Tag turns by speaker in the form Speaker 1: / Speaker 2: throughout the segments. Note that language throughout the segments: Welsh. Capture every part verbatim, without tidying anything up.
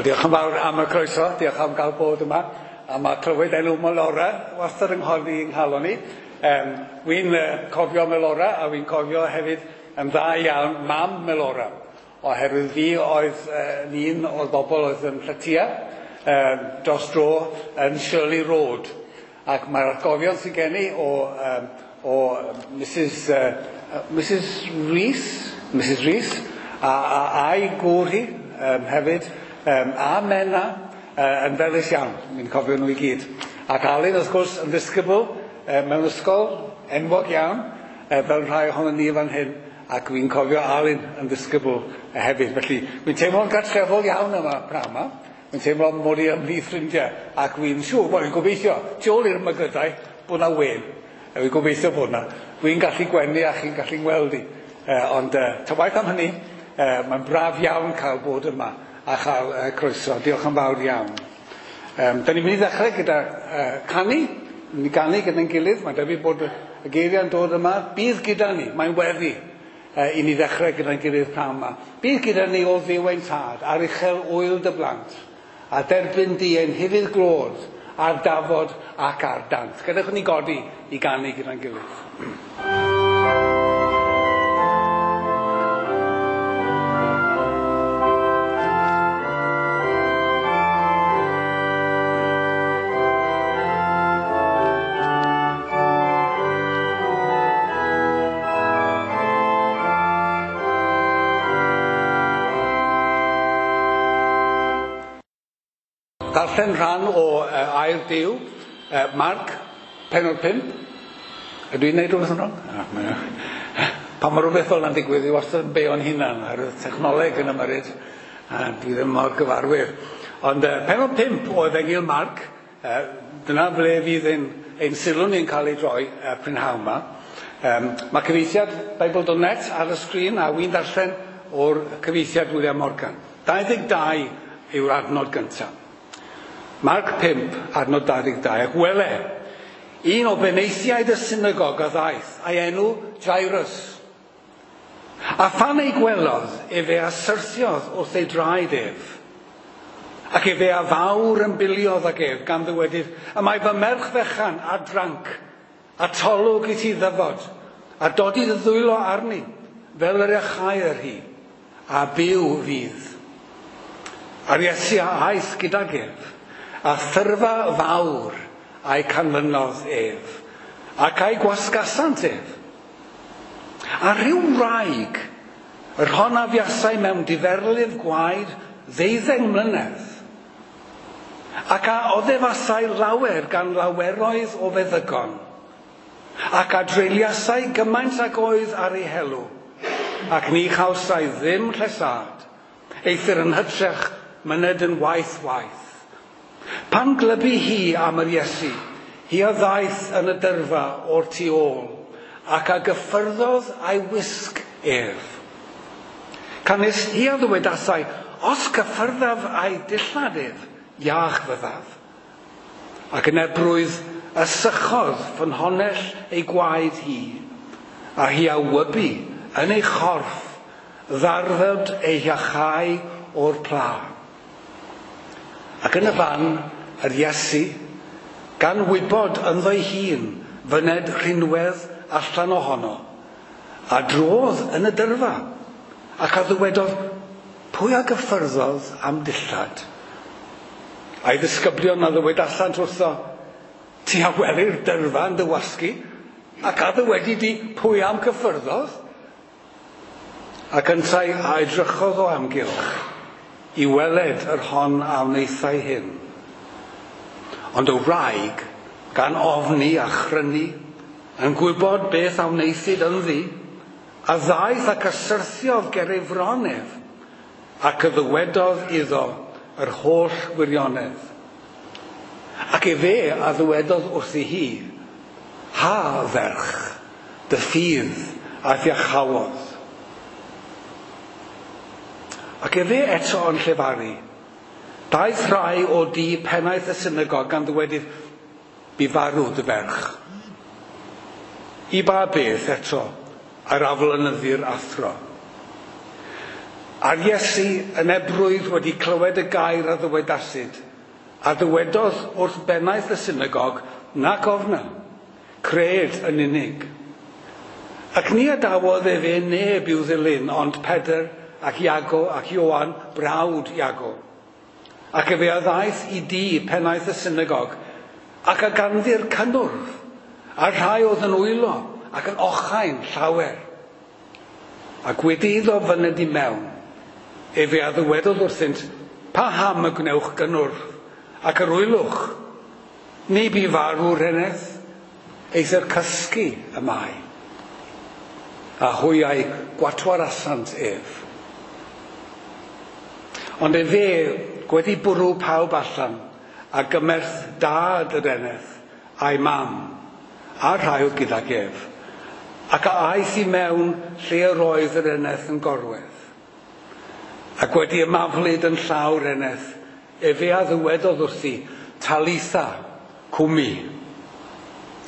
Speaker 1: Wel, diolch yn fawr am y croeso, diolch am gael bod yma. A mae clywed enw Melora wastad yng nghodi yng nghalon i. Um, Wi'n uh, cofio Melora a wi'n cofio hefyd yn dda iawn mam Melora. Oherwydd fi oedd uh, un o'r bobl oedd yn lletia um, dros dro yn Shirley Road. Ac mae'r atgofion sydd gen i o, um, o Missus Uh, Missus Rees, Missus Rees, a, a, a'i gŵr hi um, hefyd, um, a Mena, uh, yn felys iawn, mi'n cofio nhw i gyd. Ac Alun, wrth gwrs, yn ddisgybl uh, mewn ysgol enwog iawn, uh, fel rhai ohonon ni fan hyn, ac wi'n cofio Alun yn ddisgybl uh, hefyd. Felly, wi'n teimlo'n gartrefol iawn yma pnawn yma. Wi'n teimlo mod i ymhlith ffrindiau, ac wi'n siŵr, wel, wi'n gobeithio, tu ôl i'r mygydau, bod 'na wên. Uh, wi'n gobeithio bod 'na. Wi'n gallu gwenu a chi'n gallu ngweld i. Uh, ond uh, ta waeth am hynny, uh, mae'n braf iawn cael bod yma a chael uh, croeso. Diolch yn fawr iawn. Um, da ni'n mynd i ddechrau gyda uh, canu. Ni'n mynd i ganu gyda'n gilydd. Mae'n debyg bod y geiriau'n dod yma. Bydd gyda ni. Mae'n weddi uh, i ni ddechrau gyda'n gilydd pnawn yma. Bydd gyda ni o Dduw ein Tad, ar uchel ŵyl dy blant, a derbyn di ein hufudd glod ar dafod ac ar dant. Gadewch ni godi i ganu gyda'n gilydd. Darllen rhan o uh, air Duw, uh, Marc, pennod pump. Ydw i'n neud rhywbeth yn wrong? Ah, pan mae rhywbeth fel yna'n digwydd, i wastad yn beio'n hunan ar y technoleg yn ymyrryd, a dwi ddim mor gyfarwydd. Ond uh, pennod pump o Efengyl Marc, uh, dyna ble fydd ein, ein sylw ni'n cael ei droi uh, prynhawn yma. Um, mae cyfieithiad Bible dot net ar y sgrin, a wi'n darllen o'r cyfieithiad William Morgan. dau ddeg dau yw'r adnod gyntaf. Marc pump, adnod dau ddeg dau, ac wele, un o benaethiaid y synagog a ddaeth, a'i enw Jairus. A phan ei gwelodd, efe a syrthiodd wrth ei draed ef. Ac efe a fawr ymbiliodd ag ef, gan ddywedyd, y mae fy merch fechan a dranc, a tolwg i ti ddyfod, a dodi dy ddwylo arni, fel yr iachau'r hi, a byw fydd. A'r Iesu a aeth gydag ef, a thyrfa fawr a'i canlynodd ef, ac a'i gwasgasant ef. A rhyw wraig, yr hon a fuasai mewn diferlif gwaed ddeuddeng mlynedd, ac a oddefasai lawer gan laweroedd o feddygon, ac a dreuliasai gymaint ag oedd ar ei helw, ac ni chawsai ddim llesâd, eithr yn hytrach myned yn waith waith. Pan glybu hi am yr Iesu, hi a ddaeth yn y dyrfa o'r tu ôl, ac a gyffyrddodd a'i wisg ef. Canys hi a ddywedasai, os cyffyrddaf a'i dillad ef, iach fyddaf. Ac yn ebrwydd y sychodd ffynhonnell ei gwaed hi, a hi a wybu yn ei chorff ddarfod ei iachau o'r pla. Ac yn y fan, yr Iesu, gan wybod ynddo'i hun fyned rhinwedd allan ohono, a drodd yn y dyrfa, ac a ddywedodd, pwy a gyffyrddodd am dillad? A'i ddisgyblion a ddywedasant wrtho, ti a welir dyrfa yn dy wasgu, ac a ddywedi di pwy am gyffyrddodd? Ac yntau a edrychodd o amgylch, i weled yr hon a wnaethai hyn. Ond y wraig, gan ofni a chrynu, yn gwybod beth a wnaethid ynddi, a ddaeth ac a syrthiodd ger ei fron ef, ac y ddywedodd iddo yr holl wirionedd. Ac efe a ddywedodd wrthi hi, ha ferch, dy ffydd a'th iachawodd. Ac efe eto yn llefaru, daeth rhai o dŷ pennaeth y synagog gan ddweud, bu farw dy ferch. I ba beth eto yr aflonyddu'r athro? A'r Iesu yn ebrwydd wedi clywed y gair a ddywedasid, a ddywedodd wrth bennaeth y synagog, nac ofna, cred yn unig. Ac ni adawodd efe neb i'w ddilyn, ond Pedr ac Iago ac Ioan, brawd Iago. Ac efe a ddaeth i dŷ pennaeth y synagog, ac a ganddi'r cynnwrf, a'r rhai oedd yn wylo ac yn ochain llawer. Ac wedi iddo fyned i mewn, efe a ddywedodd wrthynt, paham y gwnewch gynnwrf, ac yr wylwch, ni bu farw'r eneth, eithr cysgu y mae. A hwy a'i gwatwarasant ef. Ond efe wedi bwrw pawb allan, a gymerth dad yr eneth, a'i mam, a'r rhai oedd gydag ef, ac a aeth i mewn lle yr oedd yr eneth yn gorwedd. Ac wedi ymaflyd yn llaw'r eneth, efe a ddywedodd wrthi, Talitha, cwmi.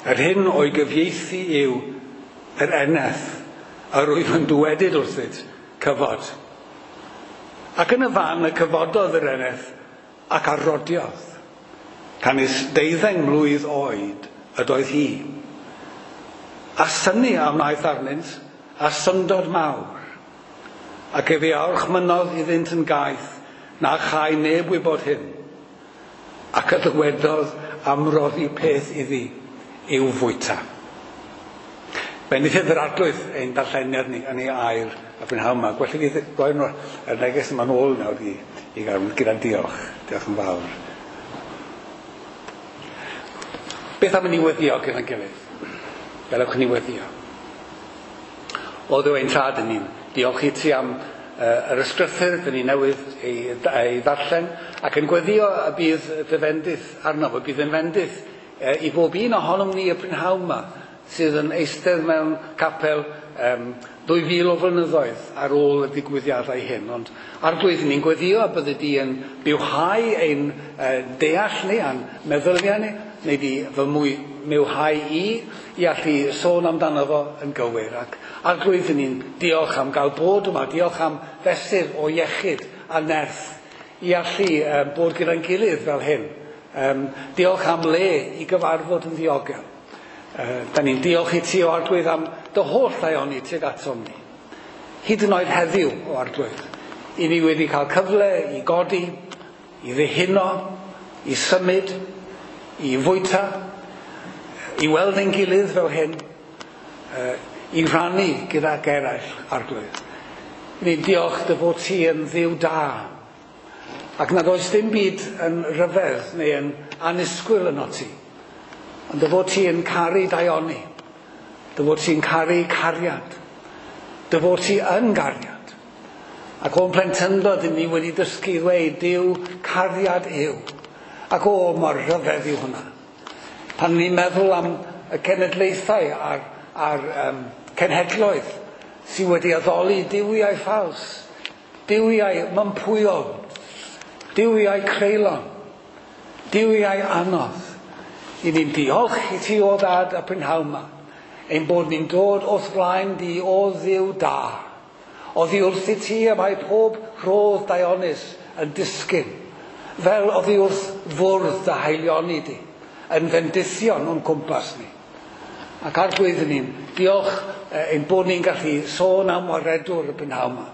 Speaker 1: Yr hyn o'i gyfieithu yw yr eneth, yr wyf yn dywedyd wrthyt, cyfod. Ac yn y fan y cyfododd yr eneth ac arrodiodd, canys deuddeng mlwydd oed ydoedd hi. A synnu a wnaeth arnynt, a syndod mawr. Ac efe a orchmynnodd iddynt yn gaeth, na chai neb wybod hyn. Ac y ddywedodd am roddi peth iddi i'w fwyta. Bendithiad yr Arglwydd ein darlleniad ni yn ei air y prynhawn yma. Gwell i fi roi yr neges yma'n ôl nawr i, i gael gyda diolch. Diolch yn fawr. Beth am i ni weddio gyda'n gilydd? Gadewch i ni weddio. O Dduw ein Tad, yn ni'n diolch i ti am uh, yr ysgrythur dyn ni newydd ei, ei ddarllen, ac yn gweddio y bydd dy fendith arno, y bydd yn fendith uh, i bob un ohonom ni y prynhawn yma, sydd yn eistedd mewn capel um, dwy fil o flynyddoedd ar ôl y digwyddiadau hyn. Ond Arglwydd, ni'n gweddio y byddi di yn bywhau ein uh, deall ni a'n meddyliau ni, neu di fy mwy mywhau i, i allu sôn amdano fo yn gywir. Ac Arglwydd, ni'n diolch am gael bod yma, diolch am fesur o iechyd a nerth i allu um, bod gyda'n gilydd fel hyn. Um, diolch am le i gyfarfod yn ddiogel. Uh, da ni'n diolch i ti o Arglwydd am dy holl ddaioni tuag atom ni. Hyd yn oed heddiw o Arglwydd, i ni wedi cael cyfle i godi, i ddihuno, i symud, i fwyta, i weld ein gilydd fel hyn, uh, i rannu gydag eraill, Arglwydd. Ni'n diolch dy fod ti yn Dduw da, ac nad oes dim byd yn rhyfedd neu yn annisgwyl yno ti, ond dy fod ti yn caru daioni, dy fod ti'n caru cariad, dy fod ti yn gariad. Ac o'n plentyndod ni wedi dysgu i ddweud, Duw cariad yw. Ac o, mor rhyfedd yw hwnna. Pan ni'n meddwl am y cenedlaethau a'r, a'r um, cenhedloedd sydd wedi addoli duwiau ffals, duwiau mympwyol, duwiau creulon, duwiau anodd. I ni'n diolch i ti o Ddad y prynhawn yma, ein bod ni'n dod wrth flaen di o Dduw da. Oddi wrth i ti y mae pob rhodd daionus yn disgyn, fel oddi wrth fwrdd dy haelioni di, yn fendithion o'n cwmpas ni. Ac Arglwydd ni'n diolch ein bod ni'n gallu sôn am waredwr y prynhawn yma.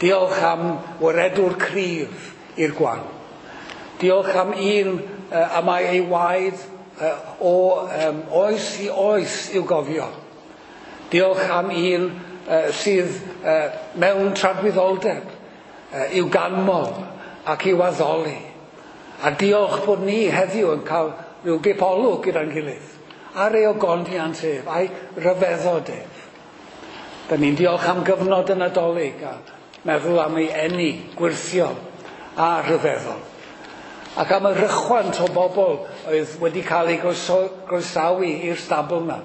Speaker 1: Diolch am waredwr cryf i'r gwan. Diolch am un uh, a mae ei waed uh, o um, oes i oes i'w gofio. Diolch am un uh, sydd uh, mewn tragwyddoldeb uh, i'w ganmol ac i'w addoli. A diolch bod ni heddiw yn cael rhyw gipolwg gyda'n gilydd ar ei ogoniant ef, a'i ryfeddod ef. Da ni'n diolch am gyfnod y Nadolig a meddwl am ei eni gwyrthiol a rhyfeddol. Ac am y rychwant o bobl oedd wedi cael eu groesawu i'r stabl yma.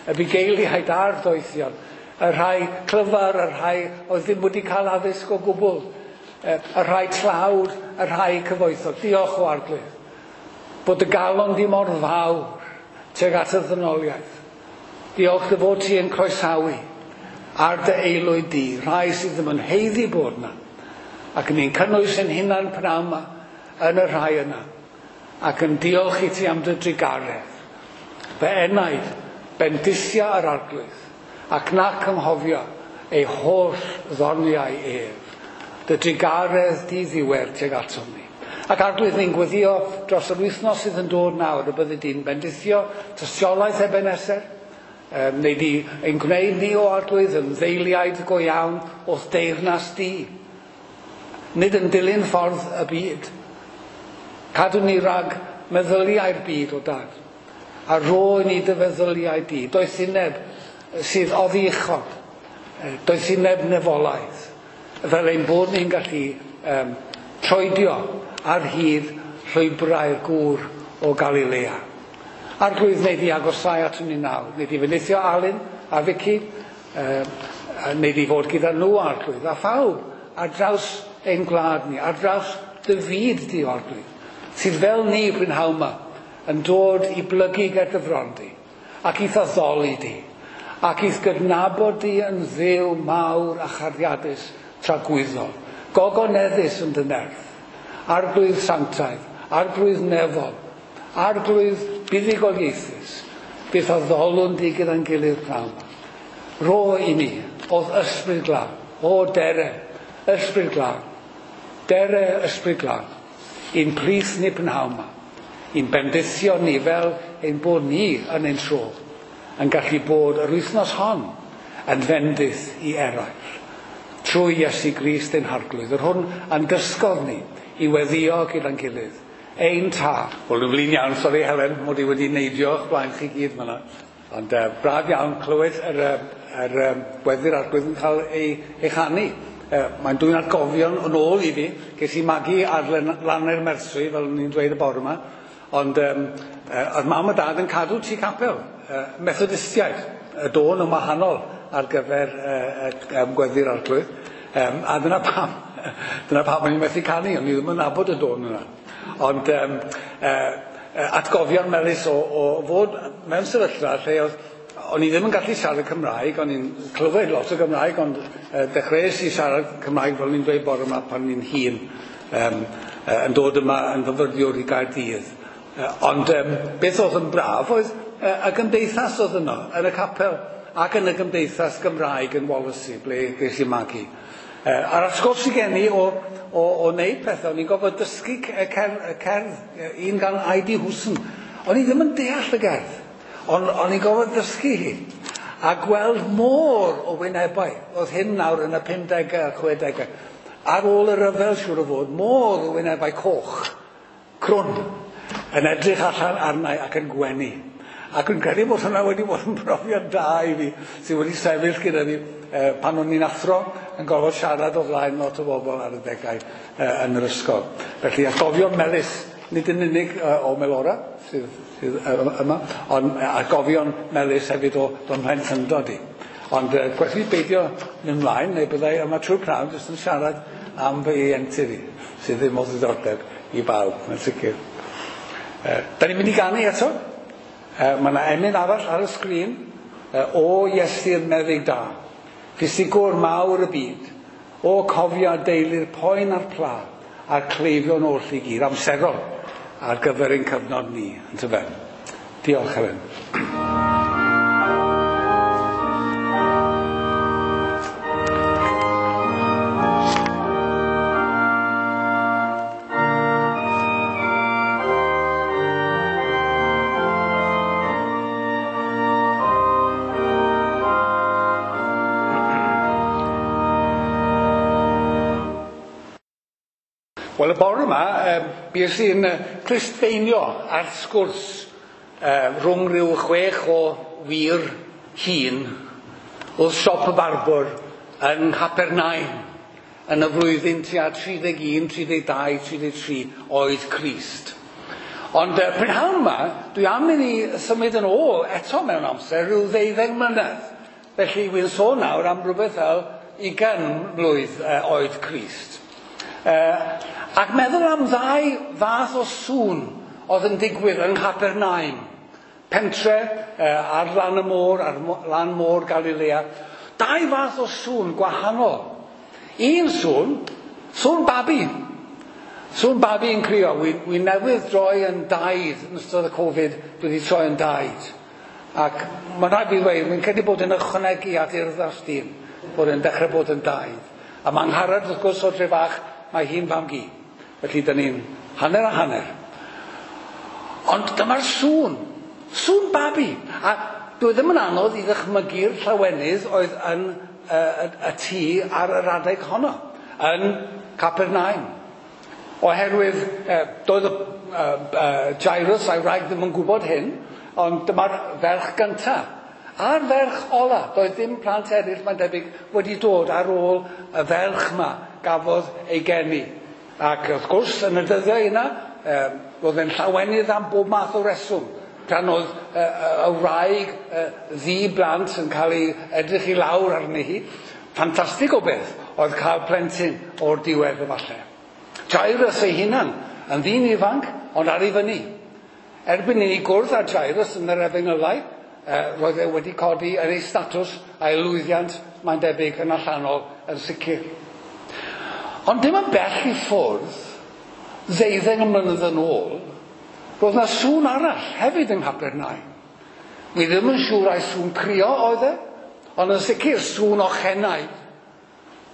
Speaker 1: Y bugeiliaid a'r doethion, y rhai clyfar, y rhai oedd ddim wedi cael addysg o gwbl, y rhai tlawd, y rhai cyfoethog. Diolch o Arglwydd bod y galon di mor fawr tuag at y ddynoliaeth. Diolch dy fod ti yn croesawu ar dy aelwyd di, rhai sydd ddim yn haeddu bod yna. Ac ni'n cynnwys ein hunan pnawn yma yn y rhai yna, ac yn diolch i ti am dy drugaredd. Fy enaid, bendithia yr Arglwydd, ac nac anghofio ei holl ddoniau ef, dy drugaredd di ddiwedd tuag atom ni. Ac Arglwydd, ni'n gweddio dros yr wythnos sydd yn dod nawr, y byddi di'n bendithio tystiolaeth Ebenezer, um, neu di ein gwneud ni o Arglwydd yn ddeiliaid go iawn o'th deyrnas di. Nid yn dilyn ffordd y byd. Cadw ni rhag meddyliau'r byd o Dad, a rho i ni dy feddyliau di. Doethineb sydd oddi uchod, doethineb nefolaidd, fel ein bod ni'n gallu um, troedio ar hyd llwybrau'r gŵr o Galilea. Arglwydd, neu di agosau aton ni nawr, neu di fendithio Alun a Vicky, uh, neu di fod gyda nhw, Arglwydd, a phawb ar draws ein gwlad ni, ar draws dy fyd di, Arglwydd, sydd fel ni prynhawn yma yn dod i blygu ger dy fron di, ac i'th addoli di, ac i'th gydnabod di yn Dduw mawr a chariadus tragwyddol, gogoneddus yn dy nerth, Arglwydd sanctaidd, Arglwydd nefol, Arglwydd buddugoliaethus, byth addolwn di gyda'n gilydd pnawn. Rho i ni, o'dd ysbryd glân, o dere, ysbryd glân, dere ysbryd glân, i'n plith ni prynhawn yma, i'n bendithio ni fel ein bod ni yn ein tro, yn gallu bod yr wythnos hon yn fendith i eraill, trwy Iesu Grist ein Harglwydd, yr hwn a'n dysgodd ni i weddio gyda'n gilydd, ein Tad. Wel, dwi'n flin iawn, sori Helen, mod i wedi neidio o'ch blaen chi gyd fan'na. Ond uh, braf iawn clywed yr, yr, yr weddi'r Arglwydd yn cael ei, ei chanu. Uh, mae'n dwyn atgofion yn ôl i fi. Ges i magu ar Lanau'r Merswy, fel o'n i'n dweud y bore yma. Ond um, uh, oedd mam a dad yn cadw tŷ capel, uh, Methodistiaid, y dôn yn wahanol ar gyfer uh, um, gweddi'r Arglwydd. Um, a dyna pam, dyna pam o'n i'n methu canu, o'n i ddim yn nabod y dôn yna. Ond um, uh, atgofion melys o, o fod mewn sefyllfa lle oedd, o'n i ddim yn gallu siarad Cymraeg, o'n i'n clywed lot o Gymraeg, ond uh, dechreuais i siarad Cymraeg fel o'n i'n dweud bore yma pan o'n i'n hŷn, um, uh, yn dod yma yn fyfyriwr i Gaerdydd. Uh, ond um, beth oedd yn braf oedd uh, y gymdeithas oedd yno, yn y capel, ac yn y gymdeithas Gymraeg yn Wallasey, ble ges i magu. Uh, a'r atgof sydd gen i o, o, o wneud pethau, o'n i'n gorfod dysgu cerdd, cerdd, un gan I D Hwsyn. O'n i ddim yn deall y gerdd, ond o'n i'n gorfod dysgu hi. A gweld môr o wynebau, oedd hyn nawr yn y pumdegau a'r chwedegau. Ar ôl y rhyfel, siŵr o fod, môr o wynebau coch, crwn, yn edrych allan arnau ac yn gwenu. Ac yn credu bod hwnna wedi bod yn brofiad da i fi, sydd wedi sefyll gyda fi eh, pan o'n i'n athro yn gorfod siarad o flaen lot o bobl ar y degau eh, yn yr ysgol. Felly atgofion melys, nid yn unig eh, o Melora sydd, sydd eh, yma, ond atgofion melys hefyd o don mhlentyndod i. Ond eh, gwerth beidio mynd ymlaen, neu byddai yma trwy'r prynhawn jyst yn siarad am fy ieuenctid i, sydd ddim o ddiddordeb i bawb, mae'n sicr. Eh, da ni'n mynd i ganu eto. Uh, mae yna emyn arall ar y sgrin, uh, o Iesu'r meddyg da, ffisigwr mawr y byd, o cofio deulu'r poen a'r pla, a'r cleifion oll i gyd, amserol ar gyfer ein cyfnod ni, yntyfe. Diolch, Helen. Wel, y bore yma, um, bues i'n uh, clustfeinio ar sgwrs uh, rhwng rhyw chwech o wir hŷn wrth siop y barbwr yn Nghapernaum yn y flwyddyn tua tri deg un, tri deg dau, tri deg tri oed Crist. Ond uh, prynhawn yma, dwi am i ni symud yn ôl eto mewn amser rhyw ddeuddeg mlynedd. Felly, wy'n sôn nawr am rhywbeth fel ugain mlwydd uh, oed Crist. Uh, ac meddwl am ddau fath o sŵn oedd yn digwydd yng Nghapernaum, pentre uh, ar lan y môr, ar mo, lan môr Galilea. Dau fath o sŵn gwahanol. Un sŵn, sŵn babi. Sŵn babi yn crio. Wi, wi newydd droi yn daid yn ystod y Covid, dwi wedi troi yn daid. Ac mae'n rhaid fi ddweud, wy'n credu bod yn ychwanegu at urddas dyn, bod yn dechrau bod yn daid. A mae Angharad, wrth gwrs, o dre fach, mae hi'n fam-gu. Felly, dyn ni'n hanner a hanner. Ond dyma'r sŵn, sŵn babi. A dwi ddim yn anodd i ddychmygu'r llawenydd oedd yn y, y, y tŷ ar yr adeg honno, yn Capernaum. Oherwydd, eh, doedd y uh, uh, Jairus a'i wraig ddim yn gwybod hyn, ond dyma'r ferch gyntaf. A'r ferch ola, doedd dim plant eraill, mae'n debyg, wedi dod ar ôl y ferch yma gafodd ei geni. Ac wrth gwrs, yn y dyddiau yna, eh, roedd e'n llawenydd am bob math o reswm. Pan oedd y, y, y wraig ddi blant yn cael ei edrych i lawr arni hi, ffantastig o beth oedd cael plentyn o'r diwedd efallai. Jairus ei hunan, yn ddyn ifanc, ond ar ei fyny. Erbyn i ni gwrdd â Jairus yn yr efengylau, eh, roedd e wedi codi yn ei statws a'i lwyddiant, mae'n debyg, yn allanol yn sicr. Ond dim yn bell i ffwrdd, ddeuddeng mlynedd yn ôl, roedd yna sŵn arall hefyd yng Nghapernaum. Wi ddim yn siŵr ai sŵn crio oedd e, ond yn sicr sŵn ochenau,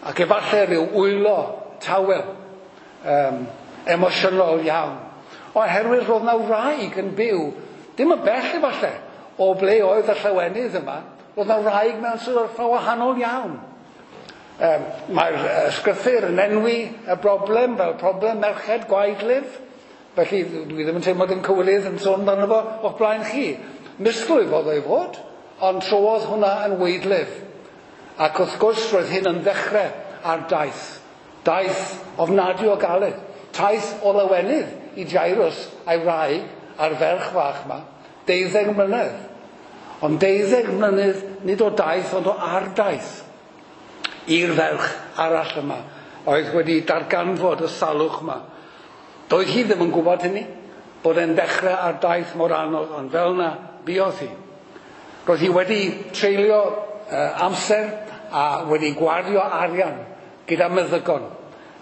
Speaker 1: ac efallai rhyw wylo tawel, um, emosiynol iawn. Oherwydd roedd yna wraig yn byw, dim yn bell efallai, o ble oedd y llawenydd yma, roedd yna wraig mewn sefyllfa wahanol iawn. Um, mae'r ysgrythur yn enwi y broblem fel problem merched gwaedlif, felly dwi ddim yn teimlo dim cywilydd yn sôn amdano fo o'ch blaen chi. Misglwyf oedd o'i fod, ond trodd hwnna yn weidlif. Ac wrth gwrs roedd hyn yn ddechrau ar daith. Daith ofnadwy o galed. Taith o lawenydd i Jairus a'i wraig a'r ferch fach yma. Deuddeg mlynedd. Ond deuddeg mlynedd nid o daith ond o ardaith i'r ferch arall yma oedd wedi darganfod y salwch yma. Doedd hi ddim yn gwybod hynny, bod e'n dechrau ar daith mor anodd, ond fel yna buodd hi. Roedd hi wedi treulio uh, amser a wedi gwario arian gyda meddygon.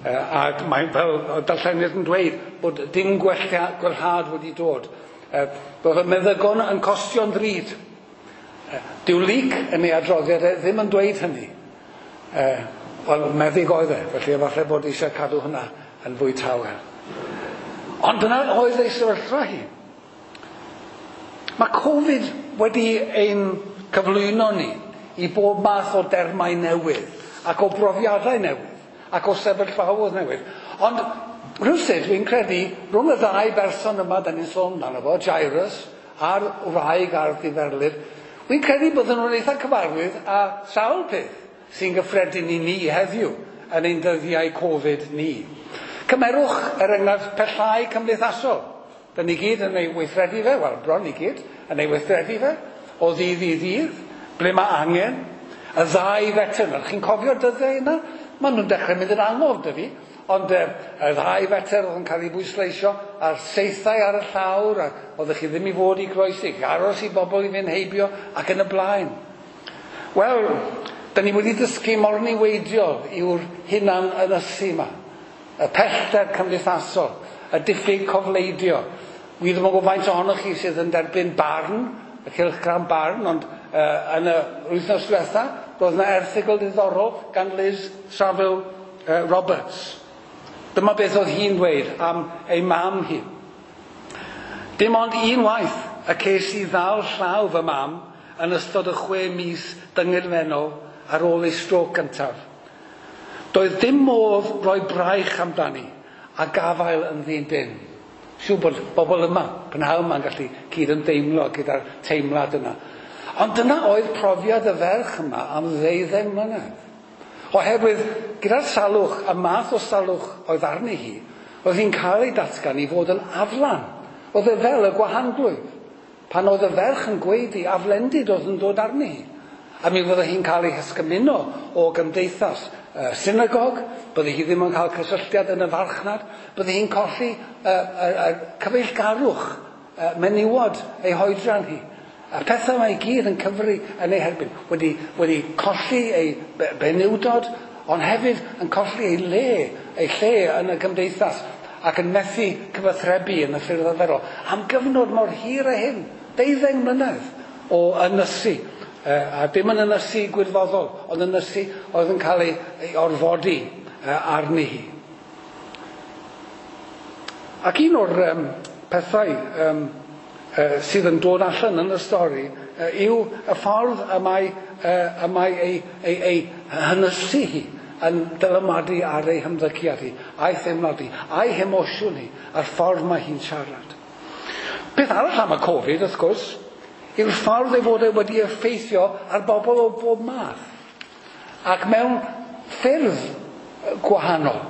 Speaker 1: Uh, ac mae fel darllenydd yn dweud bod dim gwella, gwellhad wedi dod. Uh, roedd y meddygon yn costio'n ddrud. Uh, dyw Luc yn ei adroddiad e ddim yn dweud hynny. Uh, Wel, meddyg oedd e, felly efallai bod eisiau cadw hwnna yn fwy tawel. Ond dyna oedd ei sefyllfa hi. Mae Covid wedi ein cyflwyno ni i bob math o dermau newydd ac o brofiadau newydd ac o sefyllfaoedd newydd. Ond rhywsut dwi'n credu rhwng y ddau berson yma da ni'n sôn amdano fo, Jairus a'r wraig a'r diferlif, dwi'n credu bydden nhw'n eitha cyfarwydd â sawl peth sy'n gyffredin i ni heddiw yn ein dyddiau Covid ni. Cymerwch er enghraifft pellhau cymdeithasol. Da ni gyd yn ei weithredu fe, wel bron i gyd, yn ei weithredu fe, o ddydd i ddydd, ble mae angen. Y ddau fetr, chi'n cofio'r dyddiau yna? Maen nhw'n dechrau mynd yn angof dy fi, ond y ddau fetr oedd yn cael ei bwysleisio, a'r saethau ar y llawr, ac oeddech chi ddim i fod i groesi, aros i bobl i fynd heibio, ac yn y blaen. Wel, da ni wedi dysgu mor niweidiol yw'r hunan ynysu yma. Y pellter cymdeithasol, y diffyg cofleidio. Wi ddim yn gwybod faint ohonoch chi sydd yn derbyn barn, y cylchgrawn barn, ond uh, yn y wythnos diwetha, roedd yna erthygl diddorol gan Liz Saville uh, Roberts. Dyma beth oedd hi'n dweud am ei mam hi. Dim ond un waith y ces i ddal llaw fy mam yn ystod y chwe mis dyngedfennol ar ôl ei strôc gyntaf. Doedd dim modd roi braich amdani a gafael yn ddyn dyn. Siŵr bod bobl yma, prynhawn yma'n gallu cyd-ymdeimlo gyda'r teimlad yna. Ond dyna oedd profiad y ferch yma am ddeuddeng mlynedd. Oherwydd gyda'r salwch, y math o salwch oedd arni hi, oedd hi'n cael ei datgan i fod yn aflan. Oedd e fel y gwahanglwyf. Pan oedd y ferch yn gweiddi, aflendid oedd yn dod arni hi. A mi fydde hi'n cael ei hysgymuno o gymdeithas uh, synagog, bydde hi ddim yn cael cysylltiad yn y farchnad, bydde hi'n colli uh, uh, uh, cyfeillgarwch uh, menywod ei hoedran hi. A'r pethau yma i gyd yn cyfri yn ei herbyn. Wedi, wedi colli ei benywdod, ond hefyd yn colli ei le, ei lle yn y gymdeithas, ac yn methu cyfathrebu yn y ffyrdd arferol. Am gyfnod mor hir a hyn, deuddeng mlynedd o ynysu. A dim yn ynysu gwirfoddol, ond ynysu oedd yn cael ei, ei orfodi arni hi. Ac un o'r um, pethau um, uh, sydd yn dod allan yn y stori uh, yw y ffordd y mae, uh, y mae ei, ei, ei hynysu hi yn dylanwadu ar ei hymddygiad hi, a'i theimlad hi, a'i hemosiwn hi, a'r ffordd mae hi'n siarad. Peth arall am y Covid, wrth gwrs, yw'r ffordd ei fod e wedi effeithio ar bobl o bob math, ac mewn ffyrdd gwahanol.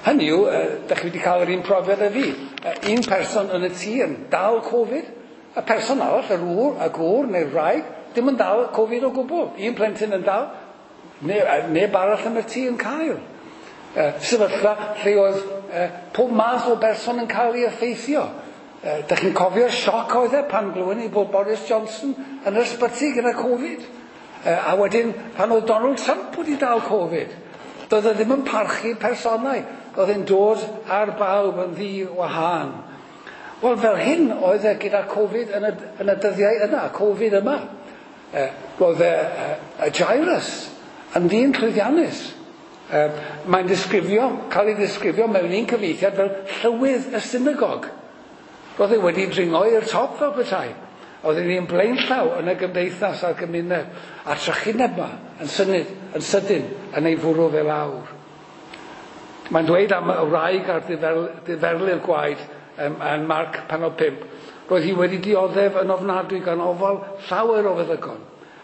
Speaker 1: Hynny yw, uh, dach chi wedi cael yr un profiad â fi. Uh, un person yn y tŷ yn dal Covid, y person arall, yr ŵr, y gŵr neu'r wraig, dim yn dal Covid o gwbl. Un plentyn yn dal, neb, neb arall yn y tŷ yn cael. Uh, sefyllfa lle oedd uh, pob math o berson yn cael ei effeithio. Uh, dach chi'n cofio'r sioc oedd e pan glywon ni bod Boris Johnson yn yr ysbyty gyda Covid. Uh, a wedyn pan oedd Donald Trump wedi dal Covid. Doedd e ddim yn parchu personau. Oedd e'n dod ar bawb yn ddi-wahân. Wel, fel hyn oedd e gyda Covid yn y, yn y dyddiau yna, Covid yma. E, roedd e, e, Jairus yn ddyn llwyddiannus. E, mae'n disgrifio, cael ei ddisgrifio mewn un cyfieithiad fel llywydd y synagog. Roedd e wedi dringo i'r top fel petai. Oedd e'n un blaenllaw yn y gymdeithas a'r gymuned. A'r trychineb yma yn synyd, yn sydyn yn ei fwrw fe lawr. Mae'n dweud am y wraig a'r diferlu'r gwaed um, yn Marc pennod pump. Roedd hi wedi dioddef yn ofnadwy gan ofal llawer o feddygon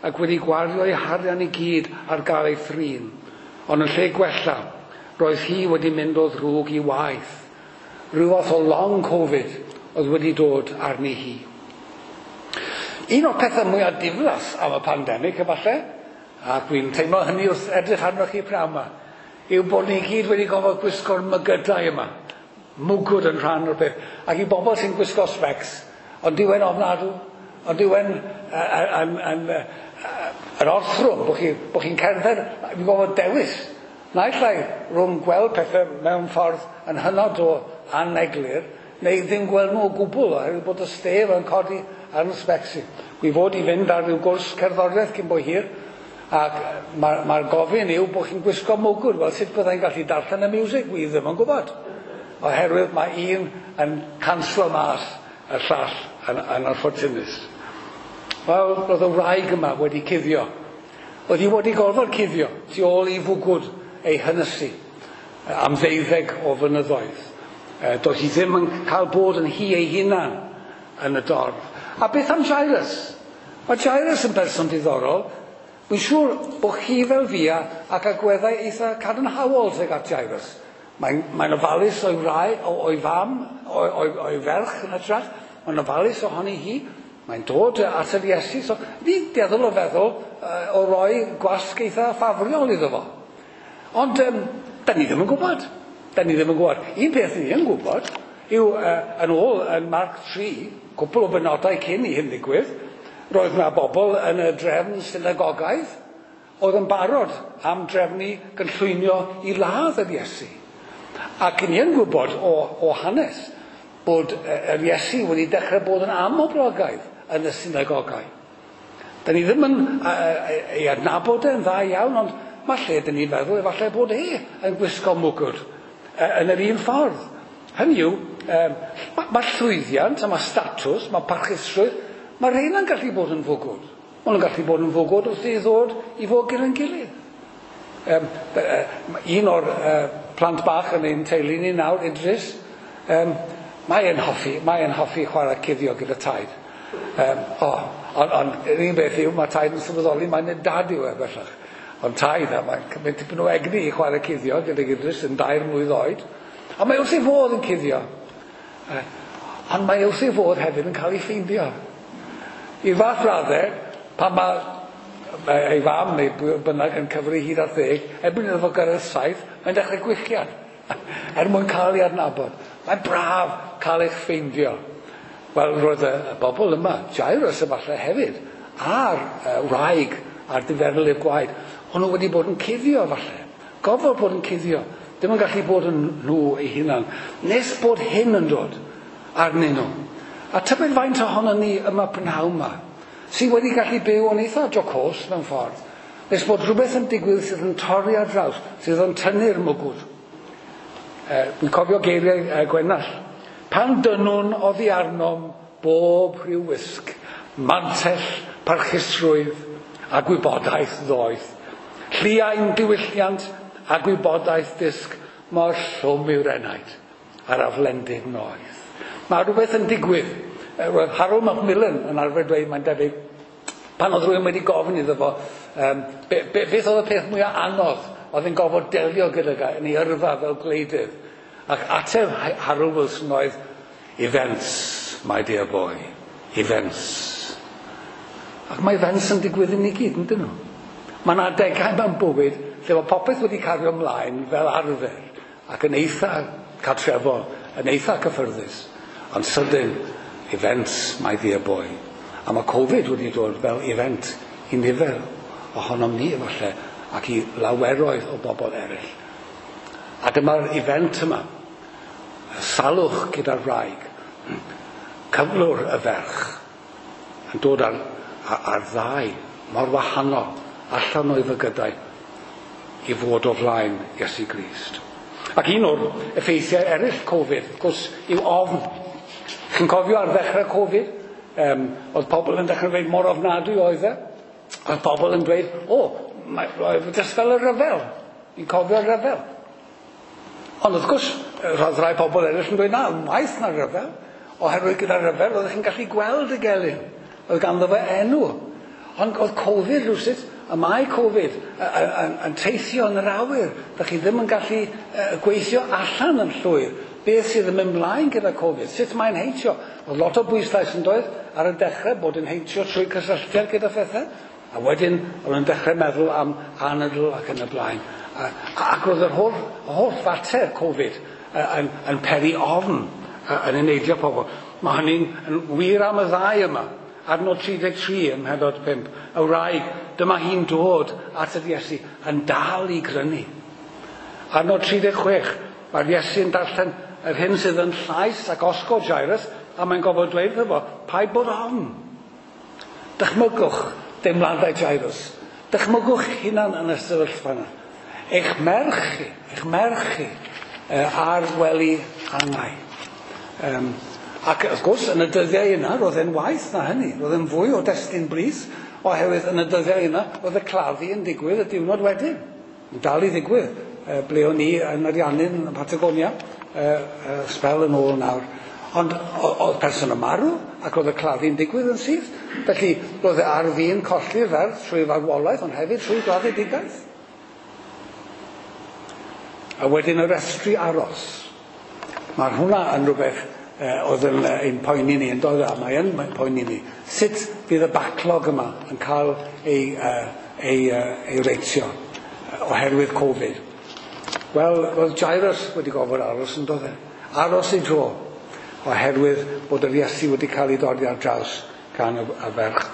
Speaker 1: ac wedi gwario ei harian i gyd ar gael ei thrin. Ond yn lle gwella, roedd hi wedi mynd o ddrwg i waith. Rhyw fath o long Covid oedd wedi dod arni hi. Un o'r pethau mwyaf diflas am y pandemig, efallai, ac dwi'n teimlo hynny wrth edrych arnoch chi pnawn yma, yw bod ni gyd wedi gorfod gwisgo'r mygydau yma. Mwgwd yn rhan o'r peth. Ac i bobl sy'n gwisgo specs, ond dyw e'n ofnadw, ond dyw e'n yn orthrwm, bod chi'n bo chi cerdded, fi'n gorfod dewis. Naill ai rhwng gweld pethau mewn ffordd yn hynod o aneglur, neu ddim gweld nhw o gwbl, oherwydd bod y stef yn codi ar y specs i. Dwi fod i fynd ar ryw gwrs cerddoriaeth cyn bo hir, ac mae'r ma gofyn yw bod chi'n gwisgo mwgwd. Wel, sut byddai'n gallu darllen y music? Wi ddim yn gwybod. Oherwydd mae un yn canslo mas y llall yn, yn anffortunus. Wel, roedd y wraig yma wedi cuddio. Oedd hi wedi gorfod cuddio tu ôl i fwgwd ei hynysu am ddeuddeg o flynyddoedd. Doedd hi ddim yn cael bod yn hi ei hunan yn y dorf. A beth am Jairus? Mae Jairus yn berson diddorol. Wy'n siŵr bod chi fel fi ac agweddau eitha cadarnhaol tuag at Jairus. Mae'n mae ofalus o'i wraig, o'i fam, o'i, o'i, o'i ferch yn hytrach. Mae'n ofalus ohoni hi. Mae'n dod at yr Iesu. So, ni'n dueddol o feddwl uh, o roi gwasg eitha ffafriol iddo fo. Ond um, da ni ddim yn gwybod. Da ni ddim yn gwybod. Un peth ni yn gwybod yw uh, yn ôl yn Marc tri, cwpl o benodau cyn i hyn ddigwydd, roedd yna bobl yn y drefn synagogaidd oedd yn barod am drefnu gynllwynio i ladd yr Iesu. Ac ni yn gwybod o, o hanes bod yr Iesu wedi dechrau bod yn amhoblogaidd yn y synagogau. Da ni ddim yn ei adnabod e'n dda iawn, ond mae lle dyn ni'n feddwl efallai bod e yn gwisgo mwgwd yn yr un ffordd. Hynny yw, um, mae, mae llwyddiant a mae statws, mae parchusrwydd, mae rheina'n gallu bod yn fwgwd. Maen nhw'n gallu bod yn fwgwd wrth i ddod i fod gyda'n gilydd. Um, un o'r uh, plant bach yn ein teulu ni nawr, Idris, um, mae e'n hoffi, mae e'n hoffi chwarae cuddio gyda taid. Um, oh, ond on, yr un beth yw, mae taid yn sylweddoli, mae'n dad yw e bellach. Ond taid, a mae'n cymryd tipyn o egni i chwarae cuddio gyda Idris yn dair mlwydd oed. A mae wrth ei fodd yn cuddio. Uh, ond mae wrth ei fodd hefyd yn cael ei ffeindio. I fath raddau, pan mae ei fam neu bynnag yn cyfri hyd at ddeg, erbyn iddo fo gyrraedd saith, mae'n dechrau gwichian, er mwyn cael ei adnabod. Mae'n braf cael eich ffeindio. Wel, roedd y, y bobl yma, Jairus efallai hefyd, a'r uh, wraig a'r diferlif gwaed, o'n nhw wedi bod yn cuddio falle. Gofod bod yn cuddio. Ddim yn gallu bod yn nhw eu hunan. Nes bod hyn yn dod arnyn nhw. A tybed faint ohonon ni yma prynhawn yma, sydd wedi gallu byw yn eitha jocos mewn ffordd, nes bod rhywbeth yn digwydd sydd yn torri ar draws, sydd yn tynnu'r mwgwd. E, Dwi'n cofio geiriau e, Gwenall. Pan dynwn oddi arnom bob rhyw wisg, mantell, parchusrwydd a gwybodaeth ddoeth, lliain diwylliant a gwybodaeth dysg, mor llwm yw'r enaid a'r aflendid noeth. Mae rhywbeth yn digwydd. Roedd Harold Macmillan yn arfer dweud, mae'n debyg, pan oedd rhywun wedi gofyn iddo fo, um, be, be, beth oedd y peth mwyaf anodd oedd yn gofod delio gyda yn ei yrfa fel gwleidydd. Ac ateb Harold Wilson oedd, events, my dear boy, events. Ac mae events yn digwydd i ni gyd, yn dyn nhw? Mae yna adegau mewn bywyd lle mae popeth wedi cario ymlaen fel arfer ac yn eitha cartrefol, yn eitha cyffyrddus. Ond sydyn, events, my dear boy. A mae Covid wedi dod fel event i nifer ohonom ni efallai ac i laweroedd o bobl eraill. A dyma'r event yma, y salwch gyda'r wraig, cyflwr y ferch, yn dod ar, ar, ar ddau mor wahanol allan o'i fygydau i fod o flaen Iesu Grist. Ac un o'r effeithiau eraill Covid, wrth gwrs, yw ofn. Chi'n cofio ar ddechrau Covid, um, oedd pobl yn dechrau dweud mor ofnadwy oedd e. Oedd pobl yn dweud, o, mae, oedd jyst fel y rhyfel. Ni'n cofio'r rhyfel. Ond wrth gwrs, roedd rhai pobl eraill yn dweud, na, waeth na rhyfel. Oherwydd gyda'r rhyfel, oeddech chi'n gallu gweld y gelyn. Oedd ganddo fe enw. Ond oedd Covid rhywsut, a mae Covid yn, yn teithio yn yr awyr. Dach chi ddim yn gallu gweithio allan yn llwyr. Beth sydd yn mynd mlaen gyda Covid? Sut mae'n heintio? Oedd lot o bwyslais yn doedd ar y dechrau bod yn heintio trwy cysylltiad gyda phethau. A wedyn oedd yn dechrau meddwl am anadl ac yn y blaen. A, ac roedd yr holl, holl fater Covid yn, yn peri ofn yn eneidio pobl. Mae hynny'n yn wir am y ddau yma. Adnod tri deg tri ym mhennod pump. Y wraig, dyma hi'n dod at yr Iesu yn dal i grynu. Adnod tri deg chwech, mae'r Iesu yn darllen yr hyn sydd yn llais ac osgo Jairus, a mae'n gofod dweud iddo fo, paid bod ofn. Dychmygwch deimladau Jairus. Dychmygwch hunan yn y sefyllfa yna. Eich merch chi, eich merch chi, ar wely angau. Um, ac wrth gwrs, yn y dyddiau yna, roedd e'n waeth na hynny. Roedd e'n fwy o destun brys, oherwydd yn y dyddiau yna, roedd y claddu yn digwydd y diwrnod wedyn. Yn dal i ddigwydd. E, ble o'n i yn Ariannin, yn Patagonia, e, e, sbel yn ôl nawr. Ond oedd person yn marw, ac roedd y claddu'n digwydd yn syth. Felly, roedd e ar fin colli'r ferch trwy farwolaeth, ond hefyd trwy gladdedigaeth. A wedyn y restri aros. Mae hwnna yn rhywbeth oedd yn ein poeni ni, yn dod, a mae yn poeni ni. Sut fydd y backlog yma yn cael ei, ei, ei reitio oherwydd Covid? Wel, roedd Jairus wedi gofod aros yn dod e. Aros ei dro, oherwydd bod yr Iesu wedi cael ei dodi ar draws gan y, y ferch.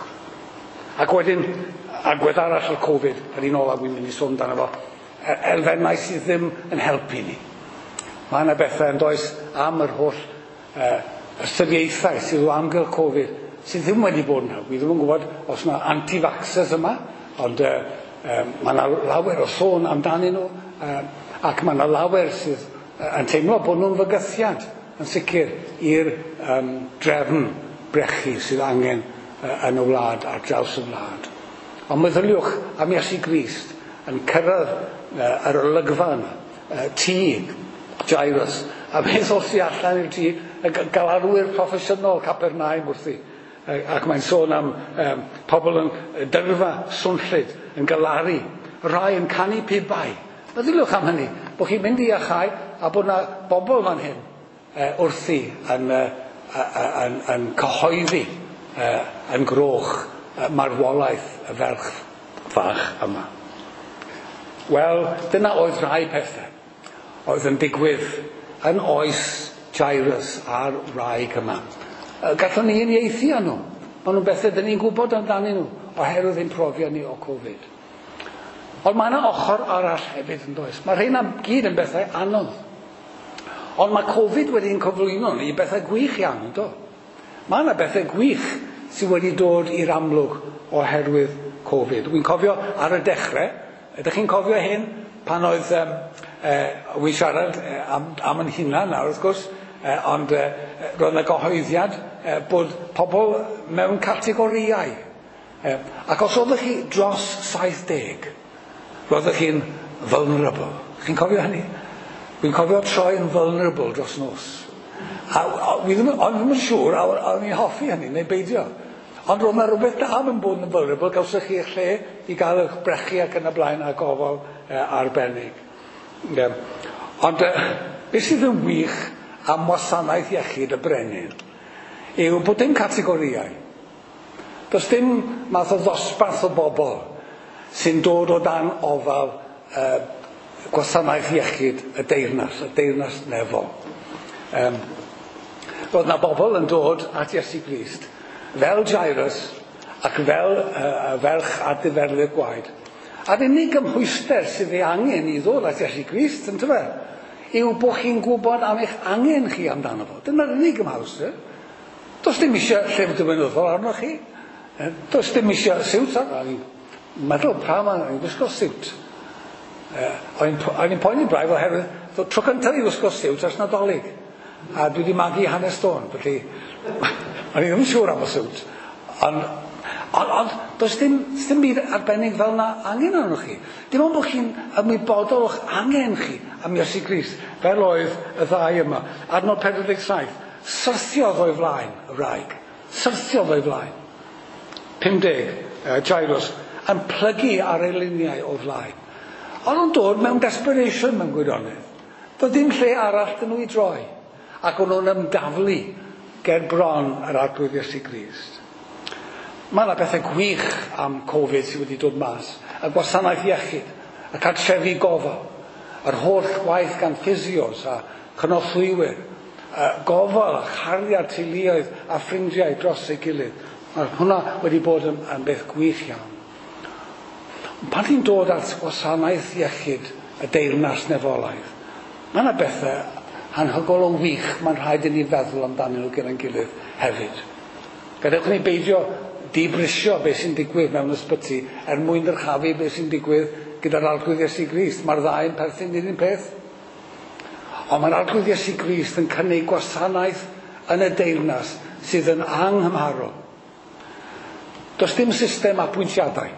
Speaker 1: Ac wedyn, agwedd arall o'r Covid, yr un olaf wy'n mynd i sôn amdano fo, elfennau sydd ddim yn helpu ni. Mae yna bethau yn does am yr holl uh, ystyriaethau sydd o amgylch Covid sydd ddim wedi bod yn helpu. Wi ddim yn gwybod os yna anti-vaxxers yma, ond uh, um, mae yna lawer o sôn amdanyn nhw, uh, ac mae yna lawer sydd uh, yn teimlo bod nhw'n fygythiad yn sicr i'r um, drefn brechu sydd angen uh, yn y wlad, ar draws y wlad. Ond meddyliwch am Iesu Grist yn cyrraedd uh, yr olygfa yma, uh, tŷ Jairus, a beth os i allan i'r tŷ, y galarwyr proffesiynol Capernaum wrthi. Ac mae'n sôn am um, pobl yn dyrfa swnllyd, yn galaru, rhai yn canu pibau. Meddyliwch am hynny, bod chi'n mynd i achau a bod yna bobl fan hyn uh, wrthi yn, uh, yn, yn cyhoeddi uh, yn groch uh, marwolaeth y ferch fach yma. Wel, dyna oedd rhai pethau oedd yn digwydd yn oes Jairus a'r wraig yma. Gallwn ni uniaethu â nhw. Maen nhw'n bethau dyn ni'n gwybod amdanyn nhw oherwydd ein profiad ni o Covid. Ond mae yna ochr arall hefyd yn does. Mae rheina gyd yn bethau anodd. Ond mae Covid wedi'n cyflwyno ni i bethau gwych iawn, yndo? Mae yna bethau gwych sydd wedi dod i'r amlwg oherwydd Covid. Wy'n cofio ar y dechrau, ydych chi'n cofio hyn? Pan oedd, um, uh, wy'n siarad am, am yn hunan nawr wrth gwrs, uh, ond uh, roedd yna gyhoeddiad uh, bod pobl mewn categorïau. Uh, ac os oeddech chi dros saith deg, roeddech chi'n vulnerable. Chi'n cofio hynny? Wy'n cofio troi yn vulnerable dros nos. A, a, wi ddim, o'n ddim yn siŵr a o'n i'n hoffi hynny neu beidio. Ond roedd yna rhywbeth da yn bod yn vulnerable, gawsoch chi eich lle i gael eich brechu ac yn y blaen a gofal eh, arbennig. Yeah. Ond eh, beth sydd yn wych am wasanaeth iechyd y brenin yw bod dim categorïau. Does dim math o ddosbarth o bobl sy'n dod o dan ofal eh, gwasanaeth iechyd y deyrnas, y deyrnas nefol. Um, roedd yna bobl yn dod at Iesu Grist fel Jairus ac fel uh, ferch a diferlydd gwaed. A'r unig gymhwyster sydd ei angen i ddod at Iesu Grist, yntyfe, yw bod chi'n gwybod am eich angen chi amdano fo. Dyna'r unig gymhwyster. Does dim eisiau llyfr diwinyddol arnoch chi. Does dim eisiau siwt arnoch chi. Meddwl pam o'n i'n gwisgo siwt. O'n i'n poeni braidd oherwydd tro cyntaf i wisgo siwt ers Nadolig. A dwi wedi magu hanes stôn, felly o'n i ddim yn siŵr am y siwt. Ond, ond, ond does dim, dim byd arbennig fel na angen arnoch chi. Dim ond bod chi'n ymwybodol o'ch angen chi am Iesu Grist, fel oedd y ddau yma. Adnod pedwar deg saith, syrthiodd o'i flaen y wraig. Syrthiodd o'i flaen. pum deg, uh, Jairus, yn plygu ar ei liniau o flaen. Ond o'n dod mewn desperation mewn gwirionedd. Doedd dim lle arall dyn nhw i droi. Ac o'n nhw'n ymdaflu ger bron yr Arglwydd Iesu Grist. Mae yna bethau gwych am Covid sydd wedi dod mas. Y gwasanaeth iechyd, y cartrefi gofal, yr holl waith gan physios a chynorthwywyr, gofal a chariad teuluoedd a ffrindiau dros ei gilydd. Mae hwnna wedi bod yn, yn beth gwych iawn. Pan ti'n dod at gwasanaeth iechyd y deyrnas nefolaidd, mae yna bethau anhygoel o wych mae'n rhaid i ni feddwl amdanyn nhw gyda'n gilydd hefyd. Gadewch ni beidio dibrisio beth sy'n digwydd mewn ysbyty er mwyn dyrchafu beth sy'n digwydd gyda'r Arglwydd Iesu Grist. Mae'r ddau yn perthyn i'r un peth. Ond mae'r Arglwydd Iesu Grist yn cynnig gwasanaeth yn y deyrnas sydd yn anghymharol. Does dim system apwyntiadau.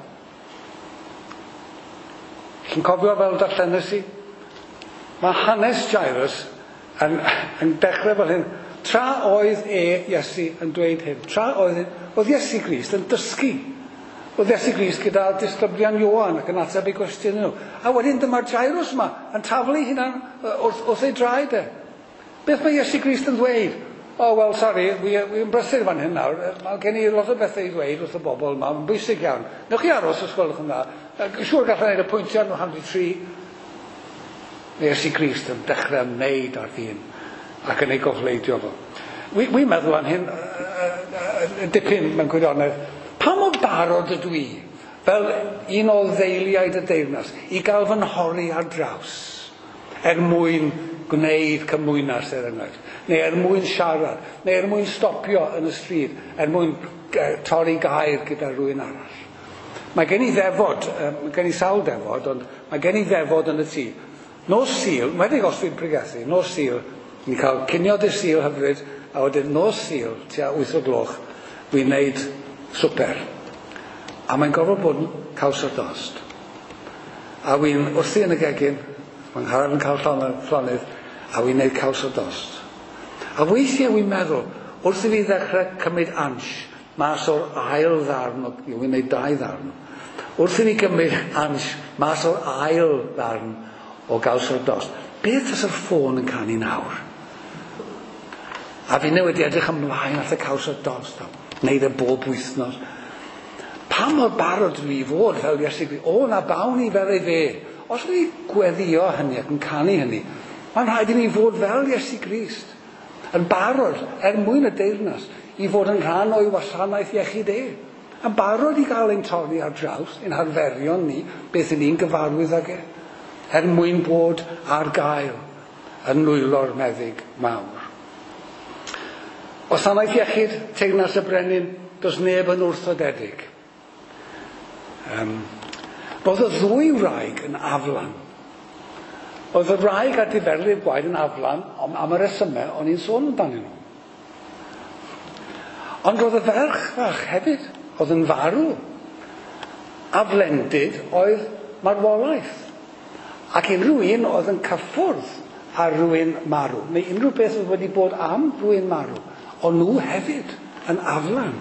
Speaker 1: Chi'n cofio fel darllenes i? Mae hanes Jairus yn, yn dechrau fel hyn. Tra oedd e, Iesu, yn dweud hyn. Tra oedd, oedd Iesu Grist yn dysgu. Oedd Iesu Grist gyda disgyblion Ioan ac yn ateb ei gwestiwn nhw. A wedyn dyma'r Jairus yma yn taflu hunan wrth, wrth ei draed e. Beth mae Iesu Grist yn dweud? Oh, well, sorry, wy'n brysur fan hyn nawr. Mae gen i lot o bethau i ddweud wrth y bobl yma. Mae'n bwysig iawn. Newch chi aros os gwelwch yn dda. Siŵr gallai wneud apwyntiad nhw hanner tri. Mae Iesu Grist yn dechrau ymwneud â'r ddyn ac yn ei gofleidio fo. Wi'n wi meddwl am hyn uh, dipyn mewn gwirionedd. Pa mor barod ydw i, fel un o ddeiliaid y deyrnas, i gael fy nhorri ar draws er mwyn gwneud cymwynas er enghraifft, neu er mwyn siarad, neu er mwyn stopio yn y stryd, er mwyn torri gair gyda rhywun arall. Mae gen i ddefod, mae gen i sawl defod, ond mae gen i ddefod yn y tŷ. Nos Sul, wedi os dwi'n pregethu, nos Sul, ni'n cael cinio dydd Sul hyfryd, a wedyn nos Sul, tua wyth o gloch, dwi'n neud swper. A mae'n gorfod bod yn caws o dost. A wy'n wrthi yn y gegin, mae'n ngharad yn cael llonydd, a wy'n neud caws o dost. A weithiau wy'n meddwl, wrth i fi ddechrau cymryd ansh, mas o'r ail ddarn, wy'n neud dau ddarn, wrth i fi gymryd ansh, mas o'r ail ddarn o gaws o'r dost, beth os yr ffôn yn canu nawr? A fi wedi edrych ymlaen at y caws o'r dost, wneud e bob wythnos. Pa mor barod dwi i fod fel Iesu Grist? O, na bawn i fel ei fe. Os ni gweddio hynny ac yn canu hynny, mae'n rhaid i ni fod fel Iesu Grist, yn barod er mwyn y deyrnas i fod yn rhan o'i wasanaeth iechyd e. Yn barod i gael ein torri ar draws, ein harferion ni, beth y'n ni'n gyfarwydd ag e, er mwyn bod ar gael yn nwylo'r meddyg mawr. Wasanaeth iechyd, teyrnas y brenin, does neb yn wrthodedig. Um, roedd y ddwy wraig yn aflan. Oedd y wraig a'r diferlif gwaed yn aflan am, am y resymau o'n i'n sôn amdanyn nhw. Ond roedd y ferch fach hefyd, oedd yn farw. Aflendid oedd marwolaeth. Ac unrhyw un oedd yn cyffwrdd ar rhywun marw, neu unrhyw beth oedd wedi bod am rhywun marw, o'n nhw hefyd yn aflan.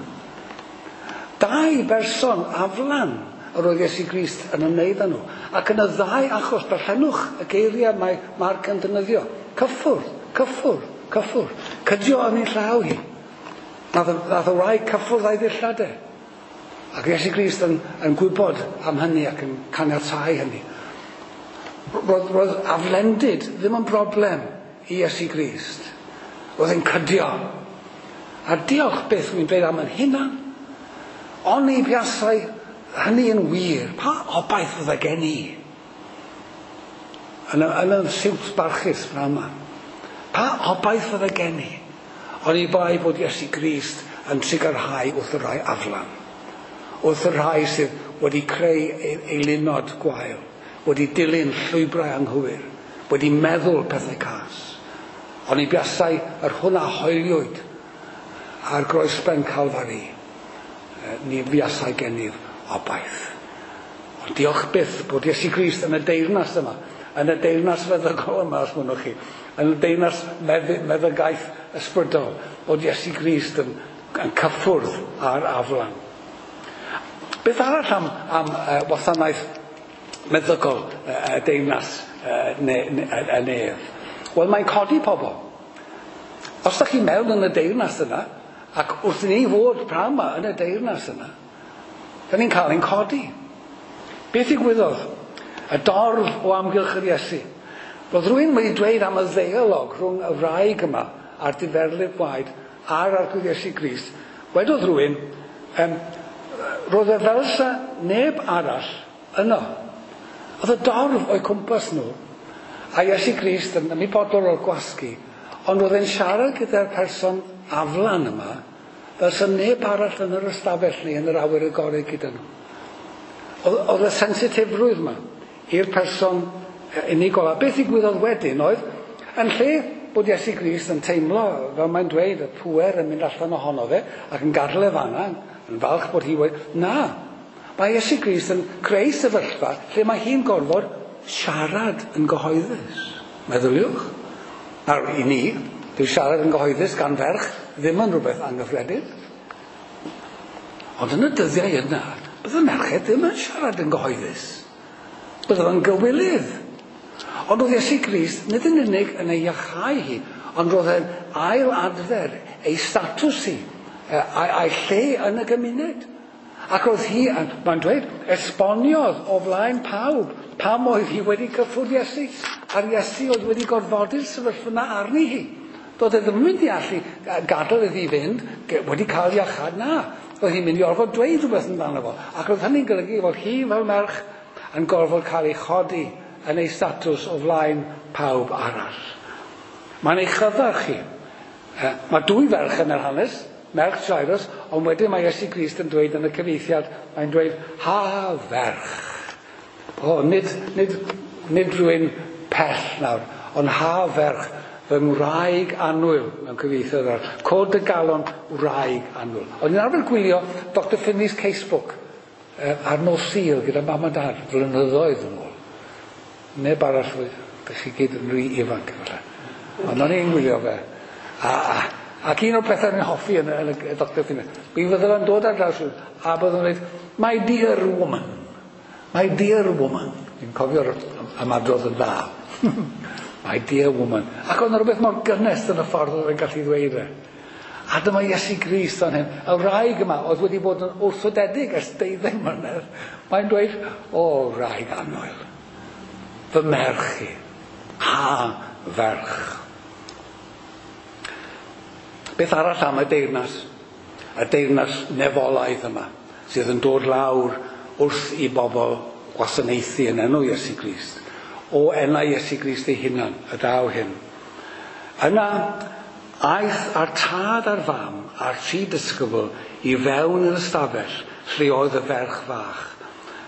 Speaker 1: Dau berson aflan yr oedd Iesu Grist yn ymwneud â nhw. Ac yn y ddau achos, darllenwch y geiriau mae Marc yn defnyddio. Cyffwrdd, cyffwrdd, cyffwrdd. Cydio yn ei llaw hi. Nath, nath y wraig cyffwrdd a'i ddillad e. Ac Iesu Grist yn, yn gwybod am hynny ac yn caniatáu hynny. Roedd, roedd aflendid ddim yn broblem i Iesu Grist. Roedd e'n cydio. A diolch byth wy'n dweud am yn hunan, oni buasai hynny yn wir, pa obaith fydde gen i? Yn y, yn y siwt barchus fan yma. Pa obaith fydde gen i? Oni bai bod Iesu Grist yn trugarhau wrth y rhai aflan. Wrth y rhai sydd wedi creu eilunod gwael, wedi dilyn llwybrau anghywir, wedi meddwl pethau cas. Oni buasai yr hwn a hoeliwyd ar groesben Calfari, ni fuasai gennyf obaith. Ond diolch byth bod Iesu Grist yn y deyrnas yma, yn y deyrnas feddygol yma, os mynnwch chi, yn y deyrnas meddy, meddygaeth ysbrydol, bod Iesu Grist yn, yn cyffwrdd ar aflan. Beth arall am, am uh, wasanaeth meddygol y uh, deyrnas uh, ne, ne, y nef? Wel, mae'n codi pobl. Os ydych chi mewn yn y deyrnas yna, ac wrth i ni fod pnawn yma yn y deyrnas yna, da ni'n cael ein codi. Beth ddigwyddodd? Y dorf o amgylch yr Iesu. Roedd rhywun wedi dweud am y ddeialog rhwng y wraig yma a'r diferlif gwaed a'r Arglwydd Iesu Grist. Wedodd rhywun, um, roedd e fel sa neb arall yno. Oedd y dorf o'u cwmpas nhw, a Iesu Grist yn ymwybodol o'r gwasgu, ond roedd e'n siarad gyda'r person aflan yma, fel sa neb arall yn yr ystafell neu yn yr awyr agored gyda nhw. Oedd y sensitifrwydd yma i'r person unigol. A beth ddigwyddodd wedyn oedd, yn lle bod Iesu Grist yn teimlo, fel mae'n dweud, y pŵer yn mynd allan ohono fe, ac yn gadael e fan'na, yn falch bod hi wedi... Na, mae Iesu Grist yn creu sefyllfa lle mae hi'n gorfod siarad yn gyhoeddus. Meddyliwch. Nawr, i ni, dyw siarad yn gyhoeddus gan ferch ddim yn rhywbeth anghyffredin. Ond yn y dyddiau yna, bydde merched ddim yn siarad yn gyhoeddus. Bydde yn gywilydd. Ond oedd Iesu Grist nid yn unig yn ei iachau hi, ond roedd e'n ail adfer ei statws hi, a'i lle yn y gymuned. Ac oedd hi, mae'n dweud, esboniodd o flaen pawb pam oedd hi wedi cyffwrdd Iesu, a'r Iesu oedd wedi gorfodi'r sefyllfa yna arni hi. Doedd e ddim yn mynd i allu gadael iddi fynd, wedi cael iachâd, na. Oedd hi'n mynd i orfod dweud rhywbeth amdano fo. Ac oedd hynny'n golygu fod hi fel merch yn gorfod cael ei chodi yn ei statws o flaen pawb arall. Mae'n ei chyfarch hi. Mae dwy ferch yn yr hanes, merch Jairus, ond wedyn mae Iesu Grist yn dweud yn y cyfieithiad, mae'n dweud, ha ferch. O, nid, nid, nid rhywun pell nawr, ond ha ferch, fy ngwraig annwyl, mewn cyfieithiad arall. Cod y galon, wraig annwyl. O'n i'n arfer gwylio Doctor Finley's Casebook ar nos Sul gyda mam a dad, flynyddoedd yn ôl. Neb arall, ydych chi gyd yn rhy ifanc efallai. Ond o'n i'n gwylio fe. A, a, ac un o'r pethau o'n i'n hoffi yn, yn y Doctor Finley, mi fydde fe'n dod ar draws a byddwn nhw'n dweud, my dear woman, my dear woman. Dwi'n cofio'r ymadrodd yn dda. My dear woman. Ac oedd yna rhywbeth mor gynnes yn y ffordd oedd e'n gallu ddweud e. A dyma Iesu Grist o'n hyn. Y wraig yma oedd wedi bod yn wrthodedig ers deuddeg mlynedd. Mae'n dweud, o, wraig annwyl, fy merch i, ha ferch. Beth arall am y deyrnas? Y deyrnas nefolaidd yma, sydd yn dod lawr wrth i bobl gwasanaethu yn enw Iesu Grist. O enau Iesu Grist ei hunan, y daw hyn. Yna, aeth a'r tad a'r fam a'r tri disgybl i fewn yr ystafell lle oedd y ferch fach.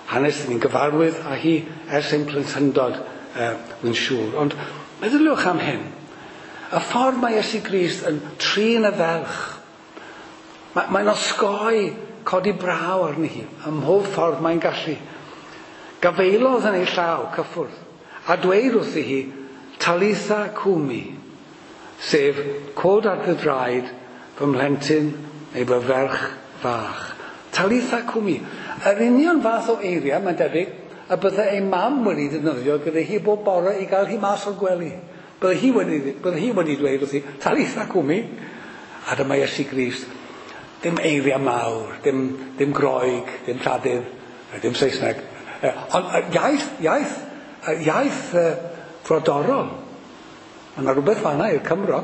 Speaker 1: Hanes ni'n gyfarwydd â hi ers ein plentyndod, uh, wy'n siŵr. Ond meddyliwch am hyn. Y ffordd mae Iesu Grist yn trin y ferch, mae, mae'n osgoi codi braw arni hi, ym mhob ffordd mae'n gallu. Gafaelodd yn ei llaw cyffwrdd, a dweud wrthi hi, Talitha cumi, sef cod ar dy draed fy mhlentyn neu fy ferch fach. Talitha cumi. Yr union fath o eiriau, mae'n debyg, y bydde ei mam wedi defnyddio gyda hi bob bore i gael hi mas o'r gwely. Bydde hi wedi, bydde hi wedi dweud wrthi, Talitha cumi. A dyma Iesu Grist. Dim eiriau mawr, dim, dim Groeg, dim Lladin, dim Saesneg. Ond iaith, iaith, iaith frodorol. Mae yna rhywbeth fanna i'r Cymro,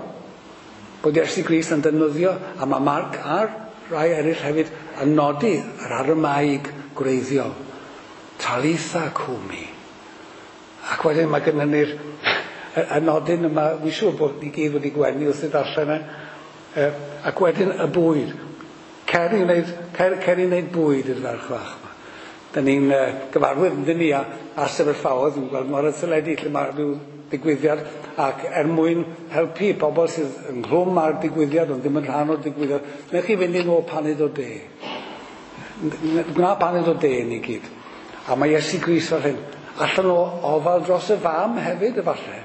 Speaker 1: bod Iesu Grist yn defnyddio, a mae Marc a'r rai eraill hefyd yn nodi yr Aramaeg gwreiddiol. Talitha cumi. Ac wedyn mae gennym ni'r y nodyn yma, wy'n siŵr bod ni gyd wedi gwenu wrth i ddarllen e. Ac wedyn y bwyd. Cer i wneud, cer, cer i wneud bwyd i'r ferch fach yma. Da ni'n uh, gyfarwydd yn ni a, a sefyllfaoedd, ni'n gweld mor y teledu lle mae rhyw digwyddiad, ac er mwyn helpu pobl sydd ynghlwm â'r digwyddiad ond ddim yn rhan o'r digwyddiad, newch chi fynd i nôl paned o de. Gwna paned o de ni gyd. A mae Iesu Grist fel hyn. Allan o ofal dros y fam hefyd efallai,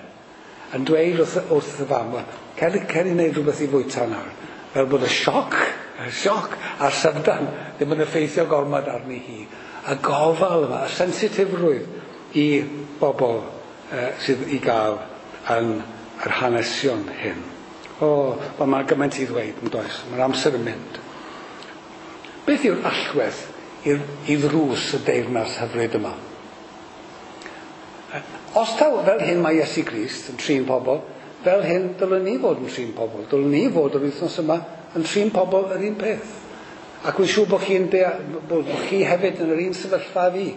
Speaker 1: yn dweud wrth, wrth y fam, cer, cer i wneud rhywbeth i fwyta nawr. Fel bod y sioc, y sioc a'r syfrdan ddim yn effeithio gormod arni hi. Y gofal yma, y sensitifrwydd i bobl uh, sydd i gael yn yr hanesion hyn. O, wel, mae gymaint i ddweud, yn does? Mae'r amser yn mynd. Beth yw'r allwedd i'r, i ddrws y deyrnas hyfryd yma? Os taw fel hyn mae Iesu Grist yn trin pobl, fel hyn dylwn ni fod yn trin pobl. Dylwn ni fod yr wythnos yma yn trin pobl yr un peth. Ac wy'n siŵr bod chi'n bod chi hefyd yn yr un sefyllfa fi.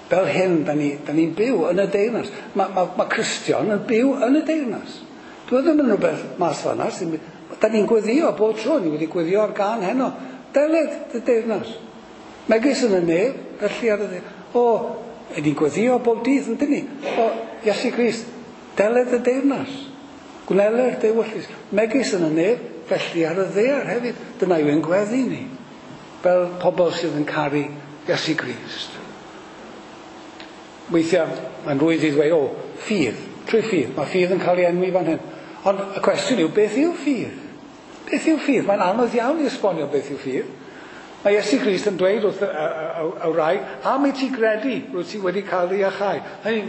Speaker 1: Fel hyn, da ni'n ni, ni byw yn y deyrnas. Mae ma, ma Cristion yn byw yn y deyrnas. Dwi ddim yn rhywbeth mas fan'na. Da ni'n gweddio bob tro. Ni wedi gweddio ar gan heno. Deled y deyrnas. Megis yn y nef, felly ar y dde. O, ni'n gweddio bob dydd, yn dyn ni? O, Iesu Grist, deled y deyrnas. Gwneler dy ewyllys. Megis yn y nef, felly ar y ddaear hefyd. Dyna yw ein gweddi ni. Fel pobl sydd yn caru Iesu Grist. Weithiau, mae'n rhwydd i ddweud, o, ffydd, trwy ffydd. Mae ffydd yn cael ei enwi fan hyn. Ond y cwestiwn yw, beth yw ffydd? Beth yw ffydd? Mae'n anodd iawn i esbonio beth yw ffydd. Mae Iesu Grist yn dweud wrth y, y, y, y wraig, am i ti gredu, rwyt ti wedi cael ei iachau.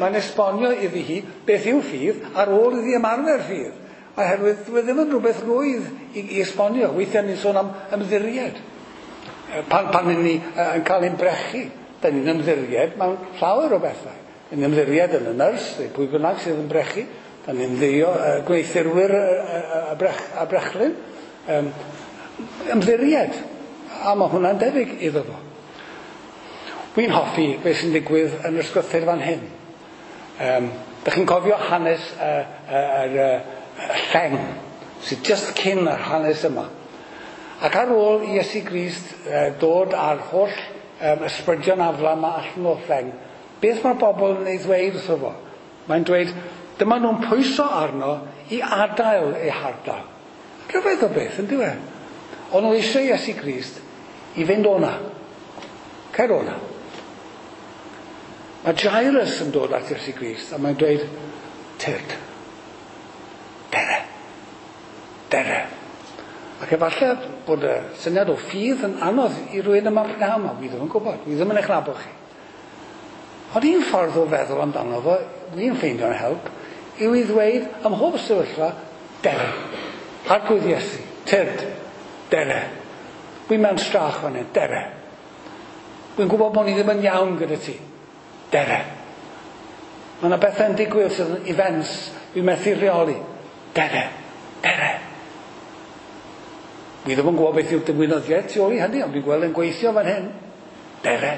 Speaker 1: Mae'n esbonio iddi hi beth yw ffydd ar ôl iddi ymarfer ffydd. Oherwydd dwi ddim yn rhywbeth rwydd i, i esbonio. Weithiau ni'n sôn am ymddiried. Pan, pan ni yn cael ein brechu, da ni'n ymddiried mewn llawer o bethau. Ni'n ymddiried yn y nyrs, neu pwy bynnag sydd yn brechu. Da ni'n ddio uh, gweithurwyr y, y, y, brech, y brechlyn. Um, ymddiried. A mae hwnna'n debyg iddo fo. Wy'n hoffi beth sy'n digwydd yn yr ysgrythur fan hyn. Um, da chi'n cofio hanes y, y, y, y lleng sydd just cyn yr hanes yma. Ac ar ôl i Iesu Grist uh, dod â'r holl um, ysbrydion afla yma allan o'r lleng, beth mae'r bobl yn ei ddweud wrtho fo? Mae'n dweud, dyma nhw'n pwyso arno i adael eu hardal. Rhyfedd o beth, yn dyw e? Ond nhw eisiau Iesu Grist i fynd o'na. Cer o'na. Mae Jairus yn dod at Iesu Grist a mae'n dweud, tyrd, dere, dere. Ac efallai bod y syniad o ffydd yn anodd i rywun yma prynhawn yma. Wi ddim yn gwybod, wi ddim yn eich nabod chi. Ond un ffordd o feddwl amdano fo, wi'n ffeindio'n help, yw i ddweud ym mhob sefyllfa, dere. Arglwydd Iesu, tyrd, dere. Wi'n mewn strach fan hyn, dere. Wi'n gwybod bod ni ddim yn iawn gyda ti, dere. Mae yna bethau'n digwydd sydd yn events, wi'n methu rheoli, dere, dere. Wi ddim yn gwybod beth yw'r ddiwinyddiaeth tu ôl i hynny, ond dwi'n gweld yn gweithio fan hyn. Dere.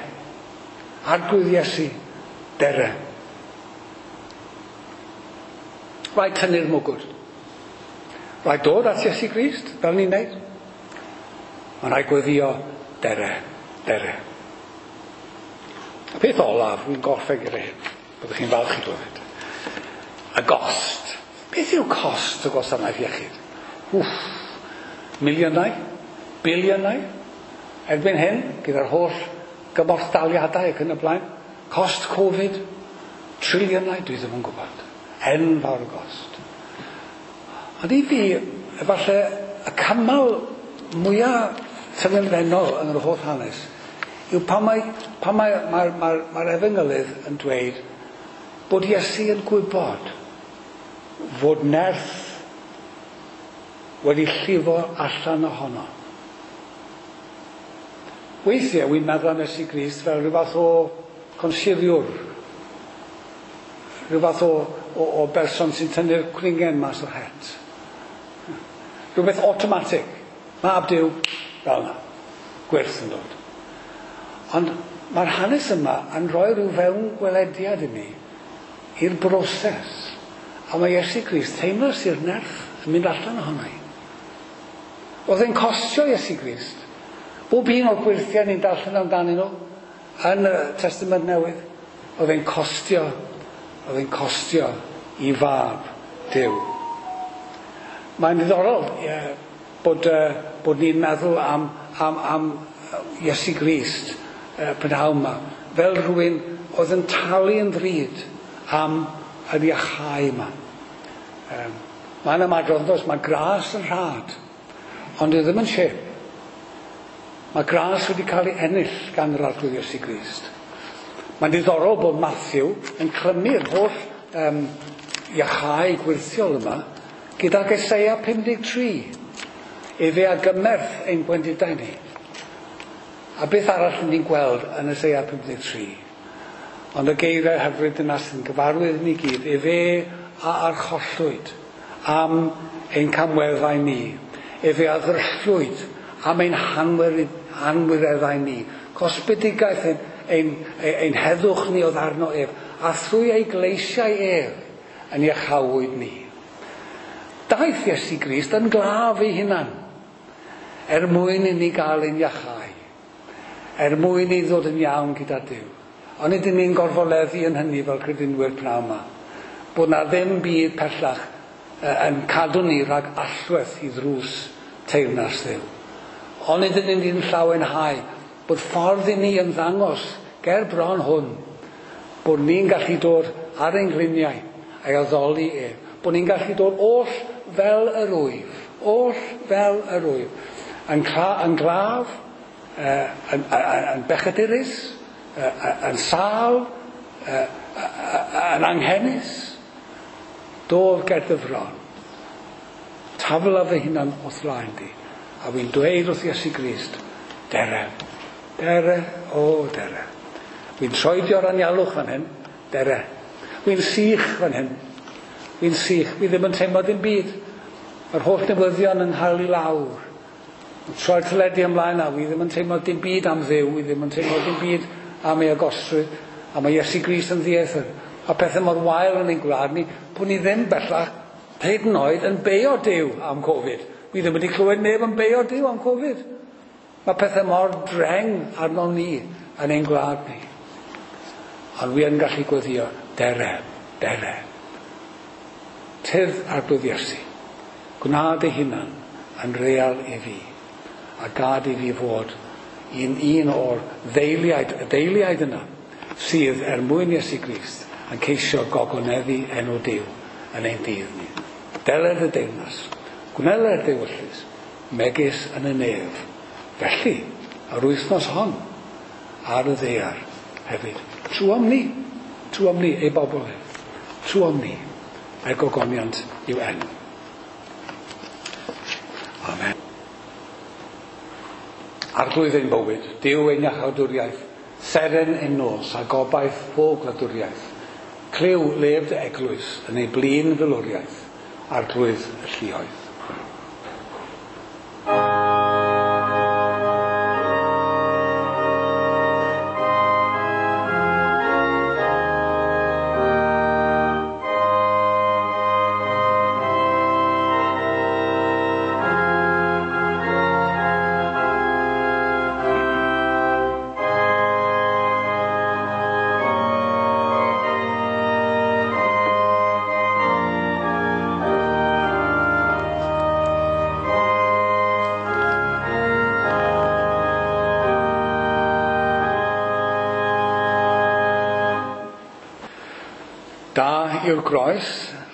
Speaker 1: Arglwydd Iesu, dere. Rhaid tynnu'r mwgwd. Rhaid dod at Iesu Grist, fel ni'n neud. Mae'n rhaid gweddio, dere, dere. Y peth olaf, wy'n gorffen gyda hyn, byddwch chi'n falch i glywed. Y gost. Beth yw cost y gwasanaeth iechyd? Wff, miliynau, biliynau. Erbyn hyn, gyda'r holl gymorthdaliadau ac yn y blaen, cost Covid, triliynau, dwi ddim yn gwybod. Enfawr y gost. Ond i fi, efallai, y cymal mwyaf tyngedfennol yn yr holl hanes yw pan mae, pan mae, mae'r mae, mae efengylydd yn dweud bod Iesu yn gwybod fod nerth wedi llifo allan ohono. Weithiau, wy'n meddwl am Iesu Grist fel rhyw fath o consuriwr, rhyw fath o, o, o berson sy'n tynnu'r cwningen mas o'r het. Rhywbeth automatic. Mab Duw, fel yna. Gwyrth yn dod. Ond mae'r hanes yma yn rhoi rhyw fewn gwelediad i ni i'r broses. A mae Iesu Grist teimlo sy'r nerth yn mynd allan ohono i. Oedd e'n costio Iesu Grist. Bob un o'r gwyrthiau ni'n darllen amdanyn nhw yn y Testament Newydd, oedd e'n costio, oedd e'n costio i fab Duw. Mae'n ddiddorol ie, bod, uh, bod ni'n meddwl am, am, am Iesu Grist uh, prynhawn yma, fel rhywun oedd yn talu yn ddrud am yr iachau yma. Um, mae'n ymadrodd, does, mae gras yn rhad, ond dyw e ddim yn chip. Mae gras wedi cael ei ennill gan yr Arglwydd Iesu Grist. Mae'n diddorol bod Matthew yn clymu'r holl um, iachau gwyrthiol yma gydag Eseia pum deg tri. Efe a gymerth ein gwendidau ni. A beth arall ni'n gweld yn Eseia pum deg tri? Ond y geiriau hyfryd yna sy'n gyfarwydd ni gyd, efe a archollwyd am ein camweddau ni. Efe a ddryllwyd am ein hanwireddau ni. Cosbedigaeth ein, ein, ein heddwch ni oedd arno ef, a thrwy ei gleisiau ef yn iachawyd ni. Daeth Iesu Grist yn glaf ei hunan, er mwyn i ni gael ein iachau, er mwyn i ddod yn iawn gyda Duw. Ond ydyn ni'n gorfoleddu yn hynny fel credinwyr pnawn yma, bod na ddim byd pellach yn cadw ni rhag allwedd i ddrws teyrnas Dduw. Ond ydyn ni'n llawenhau bod ffordd i ni ymddangos ger bron hwn, bod ni'n gallu dod ar ein gliniau a'i addoli ef, bod ni'n gallu dod oll fel yr wyf, oll fel yr wyf, yn, cla, yn glaf, uh, yn, yn, yn bechadurus, uh, yn sâl, uh, yn anghenus, dof ger dy fron. Tafla fy hunan o'th flaen di, a wy'n dweud wrth Iesu Grist, dere, dere, o dere. Wy'n troedio'r anialwch fan hyn, dere. Wy'n sych fan hyn, wy'n sych, wi ddim yn teimlo dim byd. Mae'r holl newyddion yn nghael i lawr. Troi'r teledu ymlaen a wi ddim yn teimlo dim byd am Dduw, wi ddim yn teimlo dim byd am ei agosrwydd, a mae Iesu Grist yn ddieithr. A pethau mor wael yn ein gwlad ni, bod ni ddim bellach hyd yn oed yn beio Duw am Covid. Wi ddim wedi clywed neb yn beio Duw am Covid. Mae pethau mor dreng arno ni yn ein gwlad ni. Ond wi yn gallu gweddio, dere, dere. Tydd Arglwydd Iesu, gwna dy hunan yn real i fi, a gad i fi fod un, un o'r ddeiliaid, y deiliaid yna, sydd er mwyn Iesu Grist yn ceisio gogoneddu enw Duw yn ein dydd ni. Deler y deyrnas, gwneler dewyllys, megis yn y nef. Felly, yr wythnos hon, ar y ddaear hefyd. Trwom ni, trwom ni, ei bobl ef. Trwom ni, er gogoniant i'w enw. Amen. Arglwydd ein bywyd, Duw ein iachawdwriaeth, seren ein nos a gobaith pob gwladwriaeth. Clyw lef dy eglwys yn ei blin filwriaeth, Arglwydd y lluoedd. Da yw'r groes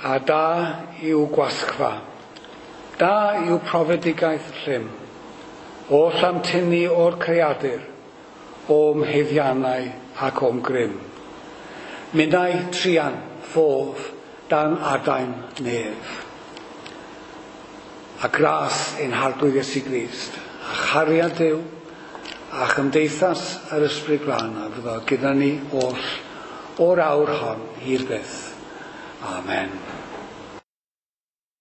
Speaker 1: a da yw gwasgfa. Da yw profedigaeth llym. Oll am tynnu o'r creadur, o'm haeddiannau ac o'm grym. Minnau truan, ffof, dan adain nef. A gras ein Harglwydd Iesu Grist, a chariad Duw, a chymdeithas yr Ysbryd Glân a fyddo gyda ni oll o'r awr hon hyd byth. Amen.